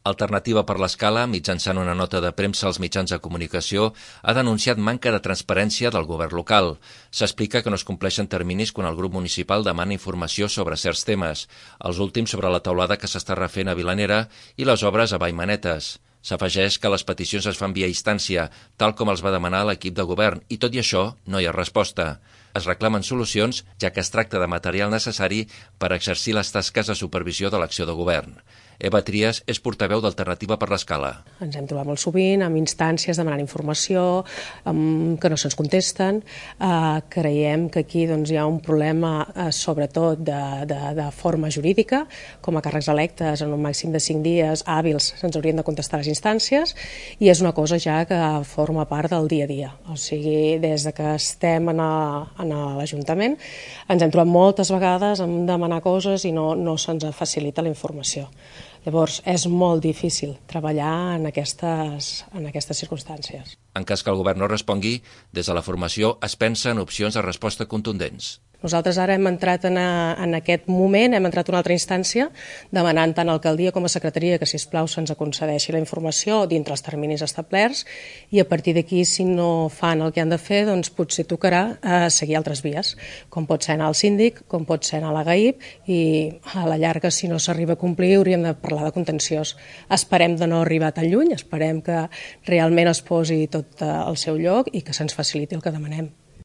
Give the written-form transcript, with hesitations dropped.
Alternativa per l'Escala, mitjançant una nota de premsa als mitjans de comunicació, ha denunciat manca de transparència del govern local. S'explica que no es compleixen terminis quan el grup municipal demana informació sobre certs temes, els últims sobre la teulada que s'està refent a Vilanera i les obres a Vallmanetes. S'afegeix que les peticions es fan via instància, tal com els va demanar l'equip de govern, i tot i això no hi ha resposta. Es reclamen solucions, ja que es tracta de material necessari per exercir les tasques de supervisió de l'acció de govern. Eva Trias és portaveu d'Alternativa per l'Escala. Ens hem trobat molt sovint amb instàncies demanant informació que no se'ns contesten. Creiem que aquí hi ha un problema sobretot de forma jurídica. Com a càrrecs electes en un màxim de 5 dies hàbils se'ns haurien de contestar les instàncies i és una cosa ja que forma part del dia a dia. O sigui, des de que estem en l'Ajuntament ens hem trobat moltes vegades en demanar coses i no se'ns facilita la informació. Llavors, és molt difícil treballar en aquestes circumstàncies. En cas que el govern no respongui, des de la formació es pensa en opcions de resposta contundents. Nosaltres ara hem entrat en aquest moment, hem entrat a una altra instància, demanant tant a l'alcaldia com a secretaria que, sisplau, se'ns concedeixi la informació dintre els terminis establerts i a partir d'aquí, si no fan el que han de fer, doncs potser tocarà seguir altres vies, com pot ser anar al síndic, com pot ser anar a la GAIP i a la llarga, si no s'arriba a complir, hauríem de parlar de contenciós. Esperem de no arribar tan lluny, esperem que realment es posi tot al seu lloc i que se'ns faciliti el que demanem.